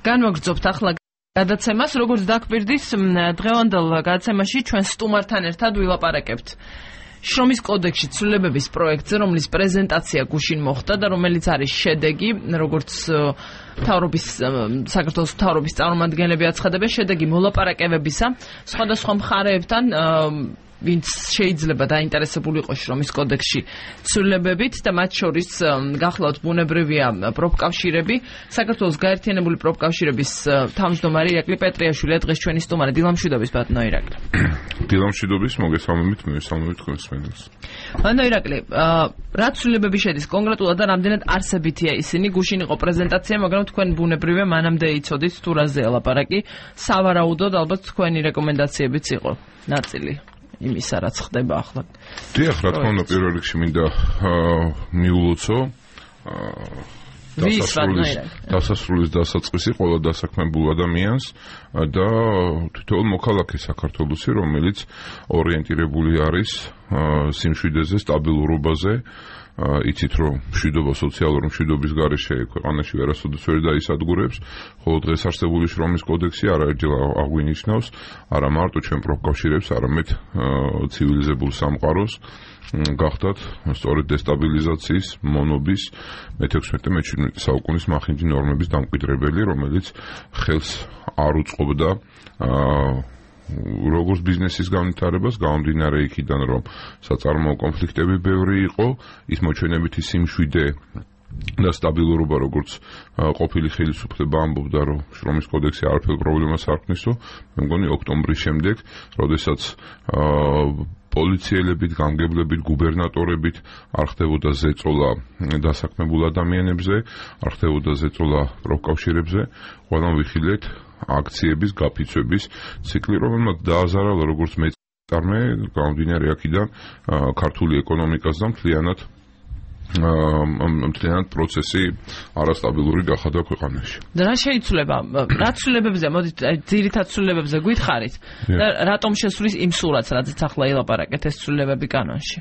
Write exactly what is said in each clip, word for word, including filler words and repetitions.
განვაგრძობთ ახლა გადაცემას, როგორც დაგვირდის, დღევანდელ გადაცემაში ჩვენ სტუმართან ერთად ვილაპარაკებთ შრომის კოდექსში ცვლილებების პროექტზე, რომლის პრეზენტაცია გუშინ მოხდა და რომელიც არის შედეგი, როგორც მთავრობის საქართველოს მთავრობის წარმომადგენლები აცხადებენ, შედეგი მოლაპარაკებებისა სხვადასხვა მხარეებთან, ვინც შეიძლება დაინტერესებული იყოს შრომის კოდექსში ცვლილებებით და მათ შორის გახლავთ ბუნებრივია პროფკავშირები. საქართველოს გაერთიანებული პროფკავშირების თავმჯდომარე ირაკლი პეტრიაშვილი დღეს ჩვენი სტუმარი. დილამშვიდობის ბატონო ირაკლი. დილამშვიდობის, მოგესალმებით, მივესალმებით თქვენს მენელს. ბატონო ირაკლი, რა ცვლილებები შედის კონკრეტულად და რამდენად არსებითია ისინი? გუშინ იყო პრეზენტაცია, მაგრამ თქვენ ბუნებრივია მანამდე იცოდით თუ რაზეა ლაპარაკი. სავარაუდოდ ალბათ თქვენი რეკომენდაციებიც იყო ნაწილი იმისა, რაც ხდება ახლა. დიახ, რა თქმა უნდა, პირველ რიგში მინდა მიულოცო დასასრულის დასაწყისი ყველა დასაქმებულ ადამიანს და თითოეულ მოქალაქეს საქართველოსი, რომელიც ორიენტირებული არის სიმშვიდეს, სტაბილურობაზე. იცით რომ მშვიდობა, სოციალური მშვიდობის გარეშე ქვეყანაში ვერასოდეს ვერ დაისადგურებს, ხოლო დღეს არსებული შრომის კოდექსი არაერთჯერ აღვინიშნავს არა მარტო ჩვენ პროფკავშირებს, არამედ ცივილიზებულ სამყაროს გახდათ სწორედ დესტაბილიზაციის, მონობის მეთექვსმეტე მეჩვიდმეტე საუკუნის მახინჯი ნორმების დამკვიდრებელი, რომელიც ხელს არ უწყობდა როგორც ბიზნესის განვითარებას, გამომდინარე იქიდან, რომ საწარმოო კონფლიქტები ბევრი იყო, ის მოჩვენებითი სიმშვიდე და სტაბილურობა, როგორც ყოფილი ხელისუფლება ამბობდა, რომ შრომის კოდექსი არაფერ პრობლემას არ ქმნისო, მე მგონი ოქტომბრის შემდეგ, როდესაც პოლიციელებით, გამგებლებით, გუბერნატორებით არ ხდებოდა ზეწოლა დასაქმებულ ადამიანებზე, არ ხდებოდა ზეწოლა პროფკავშირებზე, ყველამ ვიხილეთ აქციების, გაფიცვების ციკლი, რომელმაც დააზარალა როგორც მეწარმე, გამომდინარე აქედან ქართული ეკონომიკას და მთლიანად მთლიანად პროცესი არასტაბილური გახადა ქვეყანაში. და რა შეიცვლება? რა ცვლილებებზე, მოდით ძირითად ცვლილებებზე გითხარით და რატომ შესვლის იმ სურათს, რადგან ახლა ელაპარაკეთ ეს ცვლილებები კანონში?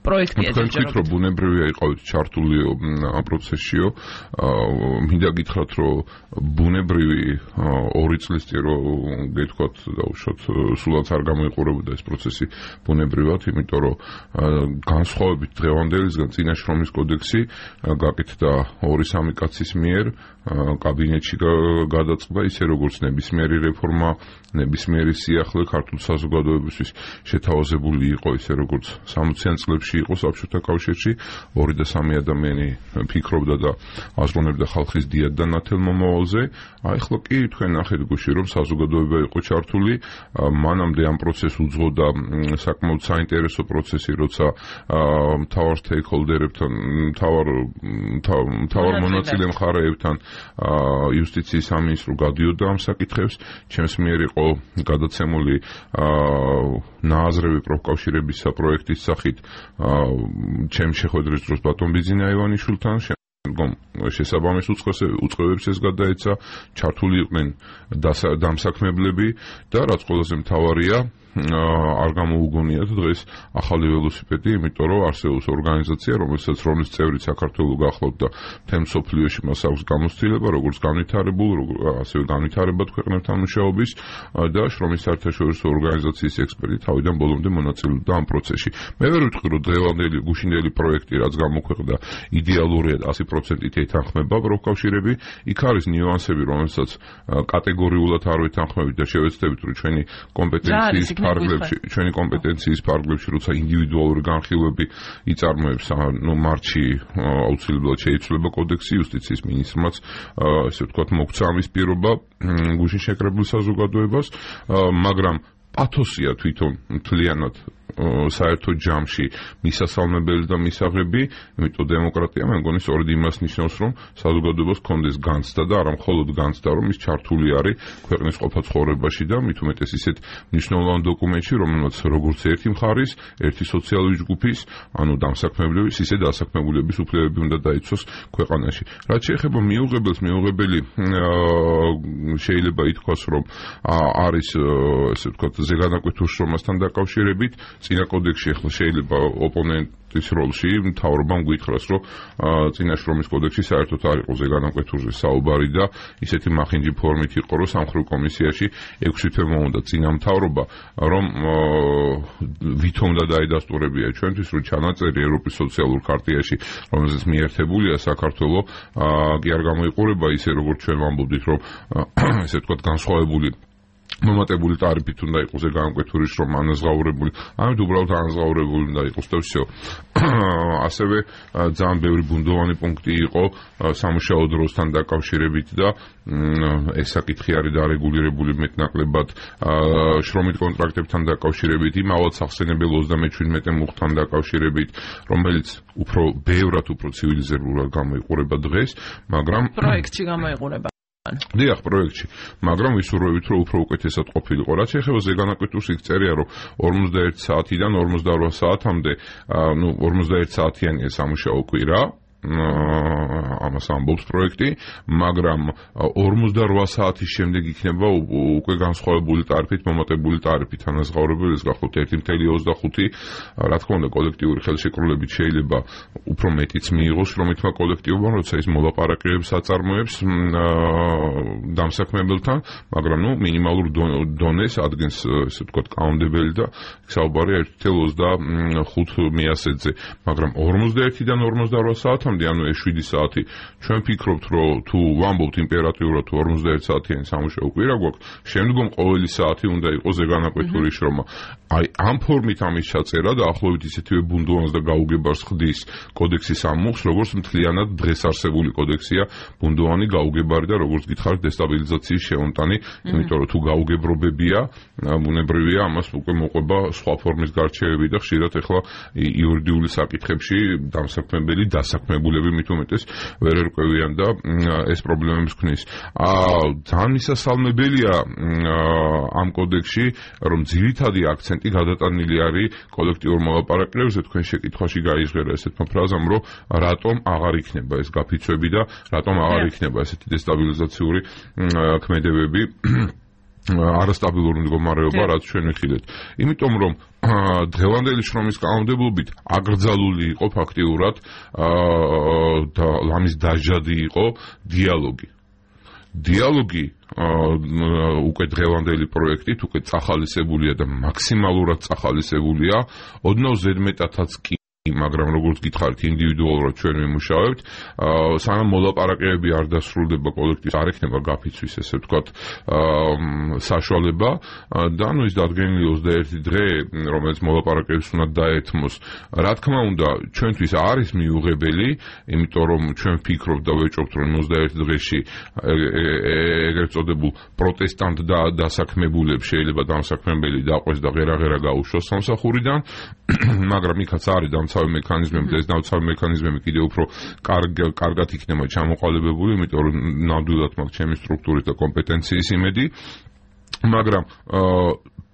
პროექტია თქვენ თქვით რომ ბუნებრივია იყავით ჩართული ამ პროცესშიო, მინდა გითხრათ რომ ბუნებრივი ორი წლის წინ რომ გეთქვათ დაუშვათ სულაც არ გამოიყურებოდა ეს პროცესი ბუნებრივად, იმიტომ რომ განსხვავებით დღევანდელისგან წინა შრომის კოდექსი გაკეთდა ორი სამი კაცის მიერ კაბინეტში გადაწყდა, ისე როგორც ნებისმიერი რეფორმა, ნებისმიერი სიახლე ქართულ საზოგადოებისთვის შეთავაზებული იყო, ისე როგორც სამოციან წლებში იყო საბჭოთა კავშირში, ორი და სამი ადამიანი ფიქრობდა და აზროვნებდა ხალხის დიად და ნათელ მომავალზე. აი ახლა კი თქვენ ნახეთ გუშინ რომ საზოგადოება იყო ჩართული, მანამდე ამ პროცესს უძღოდა საკმაოდ საინტერესო პროცესი, როცა მთავარ სტეიქჰოლდერებთან, მთავარ მთავარ მონაწილე მხარეებთან იუსტიციის სამინისტრო გადიოდა ამ საკითხებს, ჩემს მიერ იყო გადაცემული ნააზრევი პროფკავშირების საპროექტის სახით ჩემს შეხვედრის დროს ბატონ ბიზინა ივანიშვილთან, შესაბამის უწყებებს ეს გადაეცა, ჩართული იყვნენ დამსაქმებლები და რაც ყველაზე მთავარია, არ გამოუგონიათ დღეს ახალი ველოსიპედი, იმიტომ რომ არსებობს ორგანიზაცია, რომელსაც რომლის წევრი საქართველოს გახლავთ და მთელ მსოფლიოში მას აქვს გამოცდილება, როგორც განვითარებულ, ასევე განვითარებად ქვეყნებთან მუშაობის და შრომის საერთაშორისო ორგანიზაციის ექსპერტი თავიდან ბოლომდე მონაწილეობდა ამ პროცესში. მე ვერ ვიტყვი, რომ დღევანდელი გუშინდელი პროექტი, რაც გამოქვეყნდა, იდეალურია ასი პროცენტით ეთანხმება პროფკავშირები, იქ არის ნიუანსები, რომელსაც კატეგორიულად არ ვეთანხმებით და შევეცდებით, რომ ჩვენი კომპეტენციის ფარგლებში, ჩვენი კომპეტენციის ფარგლებში, როცა ინდივიდუალური განხილვები იწარმოებს, ნუ მარტში აუცილებლად შეიცვლება კოდექსი, იუსტიციის მინისტრმაც, ესე ვთქვათ, მოგცა ამის პირობა გუშინ შეკრებილ საზოგადოებას, მაგრამ პათოსია თვითონ მთლიანად საერთო ჯამში მისასალმებელი და მისაღები, იმიტომ დემოკრატია მე მგონი სწორედ იმას ნიშნავს, რომ საზოგადოებას კონდეს განცდა და არა მხოლოდ განცდა, რომ ის ჩართული არის ქვეყნის ყოფა ცხოვრებაში და მით უმეტეს ისეთ მნიშვნელოვან დოკუმენტში, რომელმაც როგორც ერთი მხარის, ერთი სოციალური ჯგუფის, ანუ დამსაქმებლების, ისე დასაქმებულების უფლებები უნდა დაიცვას ქვეყანაში. რაც შეეხება მიუღებელს, მიუღებელი შეიძლება ითქვას, რომ არის, ესე ვთქვათ, ზეგანაკვეთურ შრომასთან დაკავშირებით, წინა კოდექსში ახლა შეიძლება ოპონენტის როლში მთავრობამ გითხრას, რომ წინა შრომის კოდექსში საერთოდ არ იყო ზეგანაკვეთურზე საუბარი და ისეთი მახინჯი ფორმით იყო, რომ სამხედრო კომისიაში ექვსი თვე მომუნდა წინა მთავრობა, რომ ვითომ და დაედასტურებია ჩვენთვის, რომ ჩანაწერი ევროპის სოციალურ ქარტიაში, რომელზეც მიერთებულია საქართველო, კი არ გამოიყურება ისე, როგორც ჩვენ ვამბობდით, რომ ესე ვთქვათ განსხვავებული მომატებული ტარიფით უნდა იყოს ზეგანაკვეთური შრომა ანაზღაურებული, ამით უბრალოდ ანაზღაურებული უნდა იყოს და всё. ასევე ძალიან ბევრი ბუნდოვანი პუნქტი იყო სამუშაო დროსთან დაკავშირებით და ეს საკითხი არის დარეგულირებული მეტნაკლებად შრომით კონტრაქტებთან დაკავშირებით, იმავად სახსენებელ ოცდამეჩვიდმეტე მუხტთან დაკავშირებით, რომელიც უფრო ბევრად უფრო ცივილიზებულად გამოიყურება დღეს, მაგრამ პროექტში გამოიყურება. დიახ, პროექტში, მაგრამ ვისურვებით, რომ უფრო უკეთესად ყოფილიყო. რაც ეხება ზეგანაკვეთურს, იქ წერია, რომ ორმოცდაერთი საათიდან ორმოცდაორ საათამდე, ნუ ორმოცდაერთი საათიანია სამუშაო კვირა, ამას ამბობს პროექტი, მაგრამ ორმოცდაორ საათის შემდეგ იქნება უკვე განსხვავებული ტარიფით, მომატებული ტარიფით ანაზღაურებელი, ეს გახლავთ ერთი წუთი ოცდახუთი, რა თქმა უნდა, კოლექტიური ხელშეკრულებით შეიძლება უფრო მეტიც მიიღოს შრომითმა კოლექტივებმა, როცა ის მოლაპარაკებებს აწარმოებს დამსაქმებელთან, მაგრამ ნუ მინიმალურ დონეს ადგენს, ესე ვთქვათ, კანონმდებელი და საუბარია ერთი წუთი ოცდახუთი მიასედზე, მაგრამ ორმოცდაერთიდან ორმოცდაორ საათამდე ანუ ეს შვიდი საათი ჩვენ ფიქრობთ, რომ თუ ვამბობთ იმპერატიულად თუ ორმოცდაერთი საათიანი სამუშაო კვირა გვაქვს, შემდგომ ყოველი საათი უნდა იყოს ზეგანაკვეთური შრომა. აი ამ ფორმით ამის ჩაწერა დაახლოებით ისეთივე ბუნდოვანს და გაუგებარს ხდის კოდექსის ამუხს, როგორც მთლიანად დღეს არსებული კოდექსია ბუნდოვანი, გაუგებარი და როგორც გითხარით დესტაბილიზაციის შეუნტანი, იმიტომ რომ თუ გაუგებრობებია, ბუნებრივია ამას უკვე მოყვება სხვა ფორმის გარჩევები და ხშირად ახლა იურიდიული საკითხებში დამსაქმებელი დასაქმებული მით უმეტეს ვერ ერკვევიან და ეს პრობლემებს ქმნის. ძალიან მისასალმებელია ამ კოდექსში, რომ ძირითადი აქცენტი გადატანილი არის კოლექტიურ მოლაპარაკებებზე. თქვენ შეკითხვაში გაიზღერა ესეთმა ფრაზამ, რომ რატომ აღარ იქნება ეს გაფიცვები და რატომ აღარ იქნება ესეთი დესტაბილიზაციური ქმედებები, არასტაბილური მდგომარეობა, რაც ჩვენ ვიხილეთ. იმიტომ რომ დღევანდელი შრომის კანონმდებლობით აკრძალული იყო ფაქტიურად და ამის დაჟადი იყო დიალოგი. დიალოგი უკვე დღევანდელი პროექტით უკვე წახალისებულია და მაქსიმალურად წახალისებულია, ოდნავ ზედმეტადაც კი, მაგრამ როგორც გითხარით, ინდივიდუალურად ჩვენ ვიმუშავებთ, სანამ მოლაპარაკებები არ დასრულდება კოლექტივს, არ ექნება გაფიცვის, ესე ვთქვათ, საშუალება და ნუ ის დადგენილი ოცდაერთი დღე, რომელიც მოლაპარაკებებს უნდა დაეთმოს, რა თქმა უნდა, ჩვენთვის არის მიუღებელი, იმიტომ რომ ჩვენ ვფიქრობთ და ვეჭობთ, რომ ოცდაერთი დღეში ეგრეთ წოდებულ პროტესტანტ და დასაქმებულებს შეიძლება დამსაქმებელი დაყვეს და ღერაღერა გაუშვას სამსახურიდან, მაგრამ იქაც არის დამცავი მექანიზმები და ეს დამცავი მექანიზმები კიდევ უფრო კარგად იქნება ჩამოყალიბებული, იმიტომ რომ ნამდვილად მაქვს ჩემი სტრუქტურის და კომპეტენციის იმედი, მაგრამ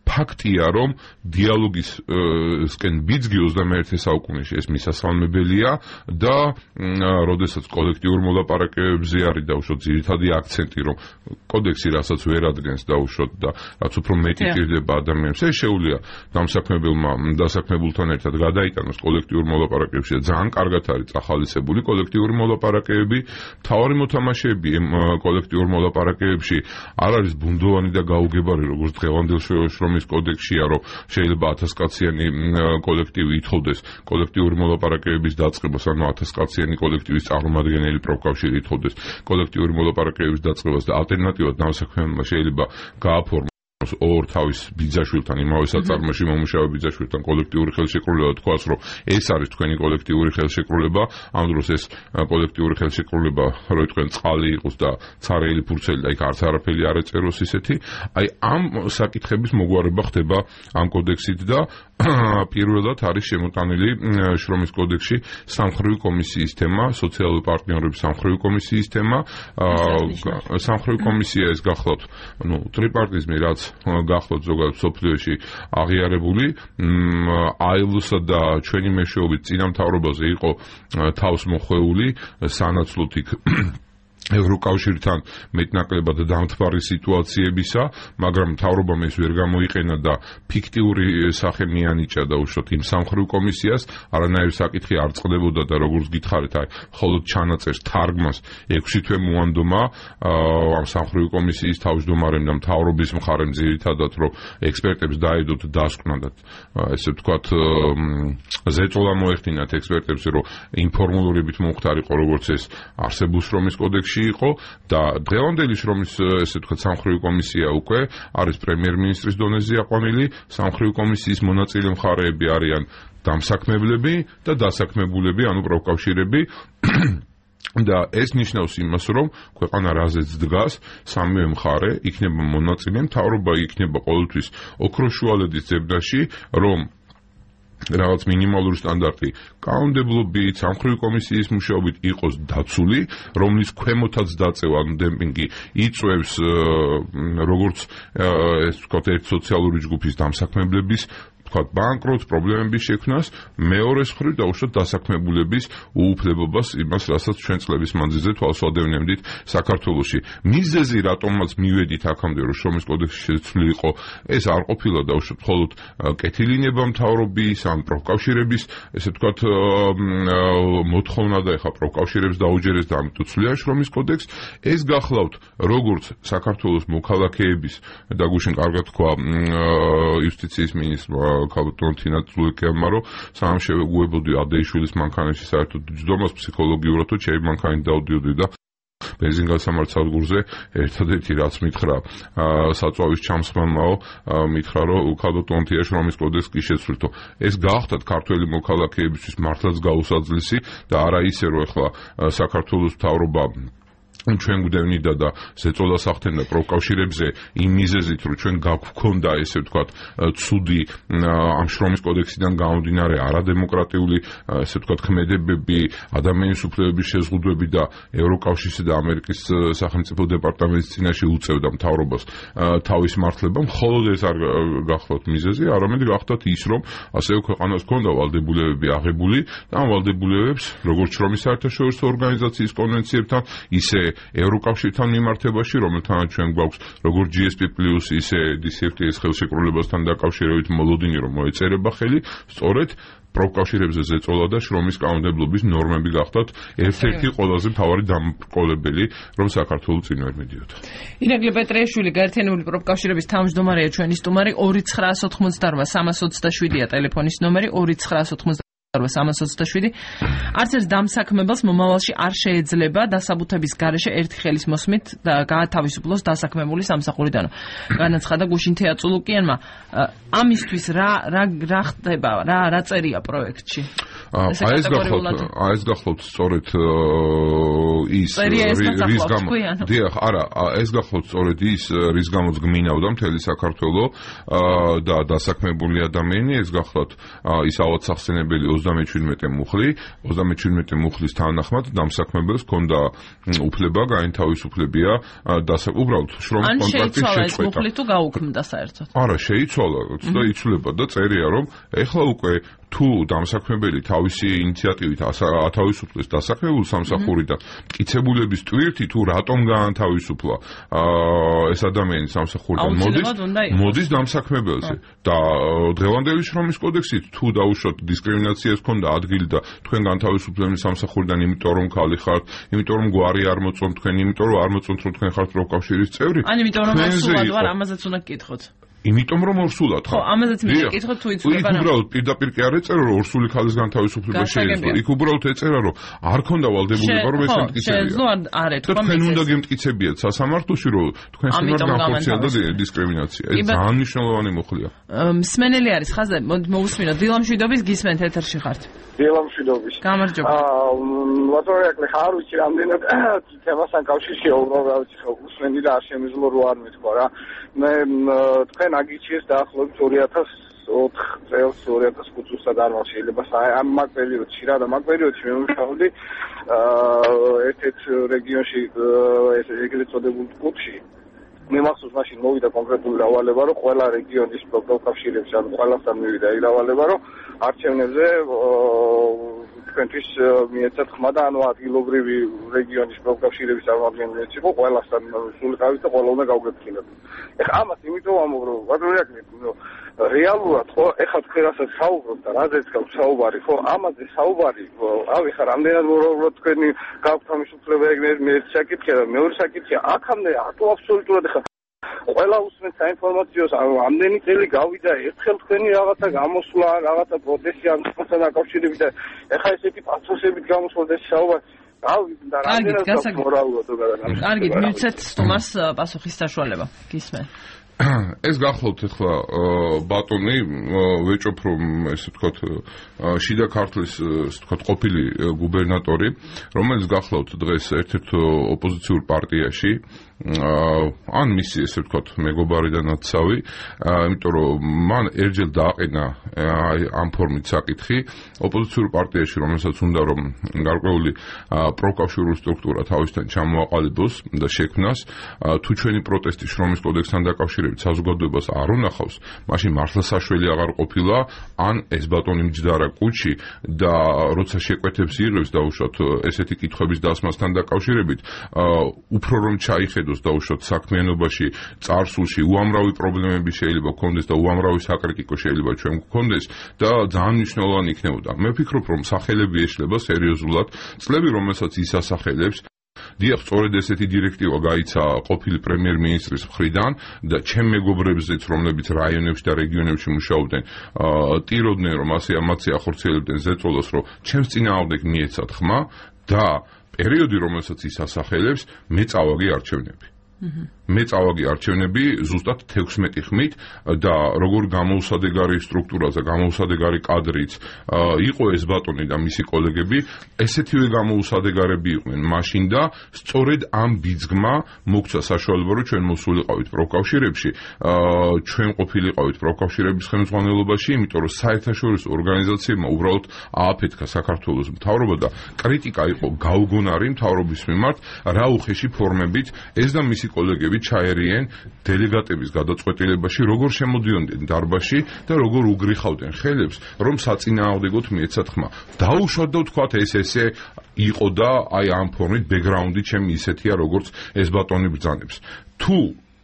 ფაქტია, რომ დიალოგისკენ ბიძგი ოცდამეერთე საუკუნეში ეს მისასალმებელია და როდესაც კოლექტიურ მოლაპარაკებებზე არის დაუშვათ ძირითადი აქცენტი, რომ კოდექსი რასაც ვერ ადგენს დაუშვათ და რაც უფრო მეტი ჭირდება ადამიანებს, ეს შეუძლია დამსაქმებელმა დასაქმებულთან ერთად გადაიტანოს კოლექტიურ მოლაპარაკებებში და ძალიან კარგად არის წახალისებული კოლექტიური მოლაპარაკებები. მთავარი მოთამაშეები კოლექტიურ მოლაპარაკებებში არ არის ბუნდოვანი და გაუგებარი, როგორც დღევანდელ შრომის კოდექსია, რომ შეიძლება ათასკაციანი კოლექტივი ითხოვდეს კოლექტიური მოლაპარაკებების დაწყებას, ანუ ათასკაციანი კოლექტივის წარმომადგენელი პროფკავშირი ითხოვდეს კოლექტიური მოლაპარაკებების დაწყებას და ალტერნატივად დამსაქმებელმა შეიძლება გააფორმოს ორ თავის ბიძაშვილთან, იმავე საწარმოში მომუშავე ბიძაშვილთან კოლექტიური ხელშეკრულება, თქვას, რომ ეს არის თქვენი კოლექტიური ხელშეკრულება, ამ დროს ეს კოლექტიური ხელშეკრულება, რო თქვენ წყალი იყოს და ცარიელი ფურცელი და იქ არც არაფერი არ ეწეროს ისეთი, აი ამ საკითხების მოგვარება ხდება ამ კოდექსით და პირველად არის შემოტანილი შრომის კოდექსში სამხრივი კომისიის თემა, სოციალური პარტნიორების სამხრივი კომისიის თემა, სამხრივი კომისია ეს გახლავთ, ნუ ტრიპარტიზმი, რაც გახლავთ ზოგადად სოფლიოში აღიარებული, აი ელ ოს-სა და ჩვენი მეშვეობით წინამთავრობაზე იყო თავს მოხვეული, სანაცვლოდ იქ ევროკავშირთან მეტნაკლებად დამთბარი სიტუაციებისა, მაგრამ მთავრობამ ეს ვერ გამოიყენა და ფიქტიური სახე მიანიჭა და უშუალოდ იმ სამხრივ კომისიას, არანაირი საკითხი არ წყდებოდა და როგორც გითხარით, აი, მხოლოდ ჩანაწერს თარგმნას ექვსი თვე მოანდომა ამ სამხრივ კომისიის თავმჯდომარემ და მთავრობის მხარემ ძირითადად, რომ ექსპერტებს დაედოთ დასკვნა და ესე ვთქვათ, ზეწოლა მოეხდინათ ექსპერტებს, რომ ინფორმულურებით მომხდარიყო, როგორც ეს არსებულ შრომის კოდექსში იყო და დღევანდელი შრომის ესე ვთქვათ სამხრივი კომისია უკვე არის პრემიერ-მინისტრის დონეზე აყვანილი, სამხრივი კომისიის მონაწილე მხარეები არიან დამსაქმებლები და დასაქმებულები, ანუ პროფკავშირები და ეს ნიშნავს იმას, რომ ქვეყანა რაზეც დგას, სამივე მხარე იქნება მონაწილე, მთავრობა იქნება ყოველთვის ოქროშუალედის ძებნაში, რომ რაღაც მინიმალური სტანდარტი კანონმდებლობით, სამხრივი კომისიის მუშაობით იყოს დაცული, რომლის ქვემოთაც დაწევა, ანუ დემპინგი იწვევს როგორც ეს ვთქვათ, ერთ სოციალური ჯგუფის დამსაქმებლების ვთქვათ, ბანკროტს, პრობლემების შექმნას, მეორეს მხრივ დაუშვათ დასაქმებულების უუფლებობას, იმას, რასაც ჩვენ წლების მანძილზე თვალსაჩინებდით საქართველოში. მიზეზი, რატომაც მივედით აქამდე, რომ შრომის კოდექსში შეცვლილი იყო, ეს არ ყოფილა დაუშვათ მხოლოდ კეთილინება მთავრობის, ან პროფკავშირების, ესე ვთქვათ, მოთხოვნა და ეხა პროფკავშირებს დაუჯერეს და ამიტომ ცვლია შრომის კოდექს. ეს გახლავთ როგორც საქართველოს მოქალაქეების და გუშინ კარგად თქვა იუსტიციის მინისტრმა ქალბატონ თინა წულიკიანმა, რომ სამ შევეგუებოდი ადეიშვილის მანქანაში საერთოდ ჯდომას ფსიქოლოგიურად, თუ ჩემი მანქანით დავდიოდი და ბენზინგასამართსადგურზე ერთადერთი რაც მითხრა საწვავის ჩამსხმელმაო, მითხრა, რომ ქალბატონ თია შრომის კოდექსს კი შეცვლითო. ეს გაახდათ ქართველი მოქალაქეებისთვის მართლაც გაუსაძლისი და არა ისე, რომ ახლა საქართველოს მთავრობა ჩვენ გვდევნიდა და ზეწოლას ახდენდა პროფკავშირებზე იმ მიზეზით, რომ ჩვენ გვქონდა ესე ვთქვათ ცუდი ამ შრომის კოდექსიდან გამომდინარე არადემოკრატიული ესე ვთქვათ ქმედებები, ადამიანის უფლებების შეზღუდვები და ევროკავშირსა და ამერიკის სახელმწიფო დეპარტამენტის წინაშე უწევდა მთავრობას თავის მართლება. მხოლოდ ეს არ გახლავთ მიზეზი, არამედ გახლავთ ის, რომ ასევე ქვეყანას ჰქონდა ვალდებულებები აღებული და ამ ვალდებულებებს როგორც შრომის საერთაშორისო ორგანიზაციის კონვენციებთან, ისე ევროკავშირთან მიმართებაში, რომელთანაც ჩვენ გვაქვს როგორც ჯი ეს პი პლუს, ისე დი სი ეფ ტი ეს ხელშეკრულებასთან დაკავშირებით მოლოდინი, რომ მოეწერება ხელი, სწორედ პროფკავშირებზე ზეწოლა და შრომის კანონმდებლობის ნორმები გახდათ ერთ-ერთი ყველაზე მთავარი დამბრკოლებელი, რომ საქართველოს წინ ვერ მიდიოდა. ირაკლი პეტრიაშვილი, გაერთიანებული პროფკავშირების თავმჯდომარეა ჩვენი სტუმარი, ორი ცხრაას ოთხმოცდაორვა სამას ოცდაშვიდია ტელეფონის ნომერი, ორი ცხრაას ოთხმოცდაორვა სამას ოცდაშვიდი. არც ერთ დამსაქმებელს მომავალში არ შეეძლება დასაბუთების გარეშე ერთი ხელის მოსმით და გაათავისუფლოს დასაქმებული სამსახურიდან. განაცხადა გუშინ თეაწულუკიანმა. ამისთვის რა რა რა ხდება, რა რა წერია პროექტში? აი ეს გახლავთ, აი ეს გახლავთ სწორედ ის რის გამო. დიახ, არა, ეს გახლავთ სწორედ ის რის გამოც გმინავდა მთელი საქართველო და დასაქმებული ადამიანი, ეს გახლავთ ის ავადსახსენებელი ოცდამეჩვიდმეტე მუხლი, ოცდამეჩვიდმეტე მუხლის თანახმად დამსაქმებელს ჰქონდა უფლება, გაინთავისუფლებია დასა უბრალოდ შრომის კონტრაქტის შეწყვეტა. ან შეიცვალა ეს მუხლი თუ გაუქმდა საერთოდ? არა, შეიცვალა და იცვლება და წერია, რომ ეხლა უკვე თუ დამსაქმებელი თავისი ინიციატივით ათავისუფლეს დასაქმებულ სამსახურიდან, მტკიცებულების ტვირთი თუ რატომ გაანთავისუფლა ეს ადამიანი სამსახურიდან, მოდის მოდის დამსაქმებელზე და დღევანდელი შრომის კოდექსით თუ დაუშვათ დისკრიმინაციას ჰქონდა ადგილი და თქვენ განთავისუფლებული სამსახურიდან, იმიტომ რომ ქალი ხართ, იმიტომ რომ გვარი არ მოწონთ თქვენ, იმიტომ რომ არ მოწონთ რომ თქვენ ხართ პროფკავშირის წევრი. ან იმიტომ რომ სულად ვარ, ამაზეც უნდა გკითხოთ. იმიტომ რომ ორსულად ხო, ამაზეც მინდა გკითხოთ თუ იცვლება. იქ უბრალოდ პირდაპირ კი არ ეწერა რომ ორსული ქალის განთავისუფლება შეიძლება. იქ უბრალოდ ეწერა რომ არ ქონდა ვალდებულება რომ ეს მტკიცებია. შეეძლო არ ეთქვა თქვენ უნდა გემტკიცებიათ სასამართლოში რომ თქვენ სიმართლე განხორციელდა დისკრიმინაცია. ეს ძალიან მნიშვნელოვანი მოხლია. მსმენელი არის ხაზზე, მოусმინოთ. დილამშვიდობის გისმენთ ეთერში ხართ. დილამშვიდობის. გამარჯობა. აა ლატორიაკლი ხარ ვიცი რამდენად თემასთან კავშირშია უბრალოდ რა ვიცი ხო უსმენდი და არ შემიძლია რო არ მეთქვა რა. მე თქვენ აგიჩიეს დაახლოებით ორი ათას ოთხ წელს ორი ათას ხუთ წელს არ შეიძლება ამ მაგ პერიოდში რა და მაგ პერიოდში მე ვიმუშაობდი ერთ-ერთ რეგიონში ეს ეგრეთ წოდებულ კუთხში. მე მახსოვს მაშინ მოვიდა კონკრეტული რავალება, რომ ყველა რეგიონის პროფკავშირებს ან ყველასთან მივიდა ის რავალება, რომ არჩევნებზე თქვენთვის მიეცათ ხმა და ანუ ადგილობრივი რეგიონის პროფკავშირების წარმომადგენლიც იყო ყველასთან სულიყავით და ყველა უნდა გავგებქილოთ. ეხლა ამას იმიტომ ამობ რომ ვადროიაკლი რეალურად ხო ეხლა თქვენ რასაც საუბრობთ და რაზეც გაქვთ საუბარი ხო ამაზე საუბარი ავი ხარ რამდენად უბრალოდ თქვენი გაქვთ ამის უფლება მე შეკითხე და მეორე შეკითხე აქამდე ატო აბსოლუტურად ეხლა ყველა უსმენთ საინფორმაციოს ამდენი წელი გავიდა ერთხელ თქვენი რაღაცა გამოსვლა რაღაცა პროტესტი ამ თემასთან დაკავშირებით და ეხლა ესეთი პათოსებით გამოსვლას ეს საუბარი და რამდენად მორალურად უგადაგამს კარგი მივცეთ სტუმარს პასუხის საშუალება გისმენ ეს გახლავთ ახლა ბატონი ვეჭობ რომ ესე ვთქვათ შიდა ქართლის ესე ვთქვათ ყოფილი გუბერნატორი რომელიც გახლავთ დღეს ერთ-ერთ ოპოზიციურ პარტიაში ან მისი ესე ვთქვათ მეგობარი და ნაცავი იმიტომ რომ მან ერჯელ დააყენა ამ ფორმით საკითხი ოპოზიციურ პარტიაში რომელსაც უნდა რომ გარკვეული პროკავშირული სტრუქტურა თავისთან ჩამოაყალიბოს და შექმნას თუ ჩვენი პროტესტი შრომის კოდექსთან დაკავშირებით საზოგადოებას არ უნახავს მაშინ მართლა საშველი აღარ ყოფილა ან ეს ბატონი მჯდარა კუჩი და როცა შეკვეთებს იღებს დაუშვათ ესეთი კითხვების დასმასთან დაკავშირებით უფრო რომ ჩაიხედოს დაუშვათ საქმიანობაში წარსულში უამრავი პრობლემები შეიძლება გქონდეს და უამრავი საკრიტიკო შეიძლება ჩვენ გქონდეს და ძალიან მნიშვნელოვანი იქნებოდა მე ვფიქრობ რომ სახელები ეშლება სერიოზულად წლები რომელსაც ის ასახელებს დიახ, სწორედ ესეთი დირექტივა გაიცა ყოფილი პრემიერ-მინისტრის მხრიდან და ჩემ მეგობრებზეც, რომლებიც რაიონებში და რეგიონებში მუშაობდნენ, ტიროდნენ, რომ ასე ამაცი ახორციელებდნენ ზეწოლას, რომ ჩემს წინააღმდეგ მიეცათ ხმა და პერიოდი, რომელსაც ის ასახელებს, მე წავაგი არჩევნები. მე წავაგი არჩევნები ზუსტად თექვსმეტი ხმით და როგორ გამოუსადეგარი სტრუქტურა და გამოუსადეგარი კადრიც იყო ეს ბატონი და მისი კოლეგები ესეთივე გამოუსადეგარები იყვნენ მაშინ და სწორედ ამ ბიძგმა მოგცა საშუალება რომ ჩვენ მოსულიყავით პროფკავშირებში ჩვენ ყოფილიყავით პროფკავშირების ხელმძღვანელობაში იმიტომ რომ საერთაშორისო ორგანიზაციებმა უბრალოდ ააფეთქა საქართველოს მთავრობა და კრიტიკა იყო გაუგონარი მთავრობის მიმართ რა უხეში ფორმებით ეს და მისი კოლეგები ჩაერიენ დელეგატების გადაწყვეტილებაში, როგორ შემოდიოდნენ დარბაზში და როგორ უგრიხავდნენ ხელებს, რომ საწინააღმდეგოდ მიეცათ ხმა. დაუშვათ და ვთქვათ ეს ესე იყო და აი ამ ფორმით ბექგრაუნდი ჩემი ისეთია, როგორც ეს ბატონი ბრძანებს. თუ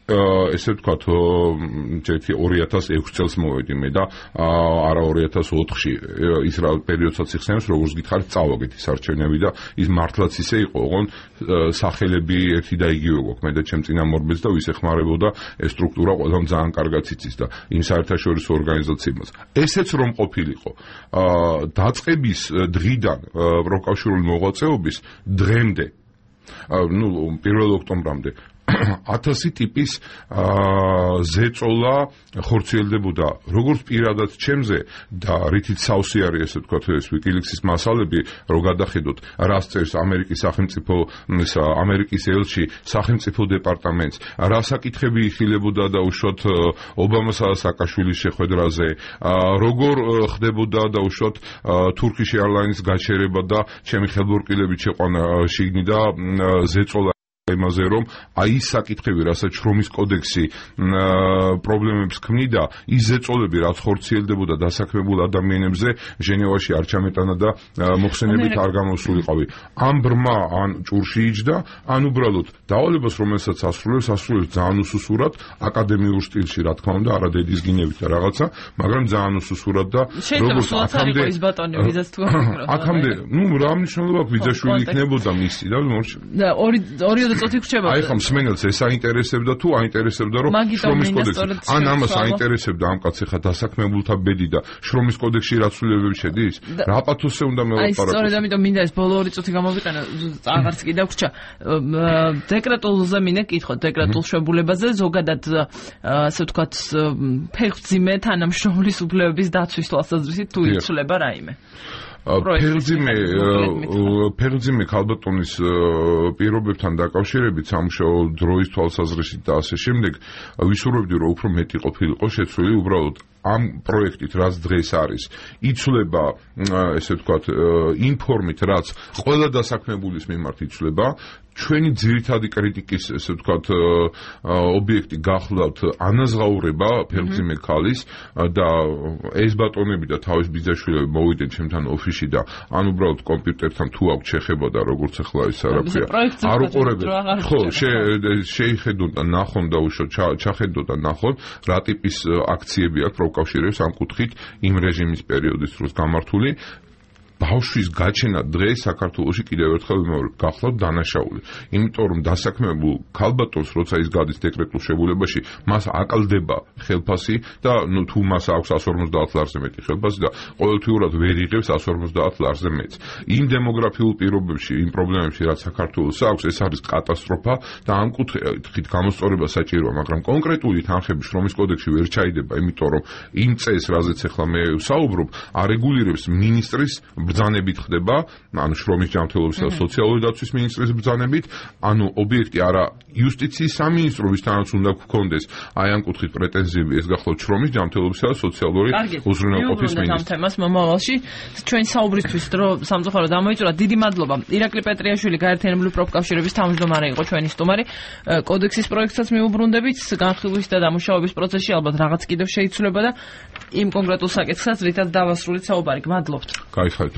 ესე ვთქვათ ორი ათას ექვსი წელს მოვედი მე და არა ორი ათას ოთხში ის რა პერიოდსაც იხსენებს როგორც გითხარით წავაგეთ ის არჩევნები და ის მართლაც ისე იყო ოღონ სახელები ერთი და იგივე გვაქვს მე და ჩემ წინამორბედს და ვის ეხმარებოდა ეს სტრუქტურა ყველამ ძალიან კარგად იცის და იმ საერთაშორისო ორგანიზაციებმაც ესეც რომ ყოფილიყო დაწყების დღიდან პროფკავშირული მოღვაწეობის დღემდე ну პირველ ოქტომბრამდე ათასი ტიპის ზეწოლა ხორციელდებოდა როგორც პირადად ჩემზე და რითიც სავსე არის ესე ვთქვათ ეს ვიკილიქსის მასალები რომ გადახედოთ რას წერს ამერიკის სახელმწიფო ამერიკის ელჩი სახელმწიფო დეპარტამენტს რა საკითხები იხილებოდა და უშუალოდ ობამასა და სააკაშვილის შეხვედრაზე როგორ ხდებოდა და უშუალოდ Turkish Airlines გაჩერება და ჩემი ხელბორკილებით შეყვანა შიგნი და ზეწოლა იმაზე რომ აი ის საკითხები რასაც შრომის კოდექსი პრობლემებს ქმნიდა ის ზეწოლები რაც ხორციელდებოდა დასაქმებულ ადამიანებზე ჟენევაში არ ჩამეტანა და მოხსენებით არ გამოსულიყავი ამ ბრმა ან ჭურში იჯდა ან უბრალოდ დავალებას რომელსაც ასრულებს ასრულებს ძალიან უსუსურად აკადემიურ სტილში რა თქმა უნდა არა დედის გინებით და რაღაცა მაგრამ ძალიან უსუსურად და როგორც აქამდე ის ბატონი ვიზას თუ აქამდე ნუ რა მნიშვნელობა აქვს ვიზაშვილი იქნებოდა მისი და მორჩა და ორი ორი წუთი გრჩება. აი ხომ სმენელს ეს აინტერესებდა თუ აინტერესებდა რომ შრომის კოდექსი ან ამას აინტერესებდა ამ კაცი ხა დასაქმებულთა ბედი და შრომის კოდექსში რა ცვლილებები შედის? რა პათოსზე უნდა მელაპარაკოს? აი სწორედ ამიტომ მინდა ეს ბოლო ორი წუთი გამოვიყენო აღარც კი დაგვრჩა. დეკრეტულზე მინე კითხოთ დეკრეტულ შვებულებაზე ზოგადად ასე ვთქვათ ფეხმძიმე თანამშრომლის უფლებების დაცვის თვალსაზრისით თუ იცვლება რაიმე? ფერძიმე ფერძიმე ქალბატონის პირობებთან დაკავშირებით სამუშაო დროის თვალსაზრისით და ასე შემდეგ ვისურვებდი რომ უფრო მეტი ყოფილიყო შეცვლილი უბრალოდ ამ პროექტით რაც დღეს არის იცვლება ესე ვთქვათ იმ ფორმით რაც ყველა დასაქმებულის მიმართ იცვლება ჩვენი ძირითადი კრიტიკის ესე ვთქვათ ობიექტი გახლავთ ანაზღაურება ფერმძიმე ქალის და ეს ბატონები და თავის ბიძაშვილები მოვიდნენ ჩემთან ოფისში ბოდიში და ან უბრალოდ კომპიუტერთან თუ აქვს შეხება და როგორც ახლა ის არაფერია არ უყურებენ ხო შეიხედონ და ნახონ და უშო ჩახედო და ნახონ რა ტიპის აქციები აქვს პროკავშირებს ამ კუთხით იმ რეჟიმის პერიოდის დროს გამართული ბავშვის გაჩენა დღეს საქართველოში კიდევ ერთხელ გახლავთ დანაშაული. იმიტომ რომ დასაქმებულ ქალბატონს როცა ის გადის დეკრეტულ შეგულებაში, მას აკლდება ხელფასი და ნუ თუ მას აქვს εκατს ორმოცდაათ ლარზე მეტი ხელფასი და ყოველთვიურად ვერ იღებს εκατს ორმოცდაათ ლარზე მეტს. იმ დემოგრაფიულ პირობებში, იმ პრობლემებში, რაც საქართველოს აქვს, ეს არის კატასტროფა და ამ კუთხით გამოსწორება საჭიროა, მაგრამ კონკრეტული თანხები შრომის კოდექსში ვერ ჩაიდება, იმიტომ რომ იმ წესს, რაზეც ახლა მე ვსაუბრობ, არეგულირებს მინისტრის ბრძანებით ხდება, ანუ შრომის ჯანმრთელობისა და სოციალური დაცვის მინისტრის ბრძანებით, ანუ ობიექტი არა იუსტიციის სამინისტრო, ვისთანაც უნდა გქონდეს აი ამ კუთხით პრეტენზიები, ეს გახლავთ შრომის ჯანმრთელობისა და სოციალური უზრუნველყოფის მინისტრი. ამ თემას მომავალში ჩვენ საუბრისთვის დრო სამწუხაროდ ამოიწურა. დიდი მადლობა. ირაკლი პეტრიაშვილი, გაერთიანებული პროფკავშირების თავმჯდომარე იყო ჩვენი სტუმარი. კოდექსის პროექტსაც მიუბრუნდებით, განხილვის და დამუშავების პროცესში ალბათ რაღაც კიდევ შეიცვლება და იმ კონკრეტულ საკითხსაც რითაც დავასრულეთ საუბარი. გმადლობთ. გაიხარით.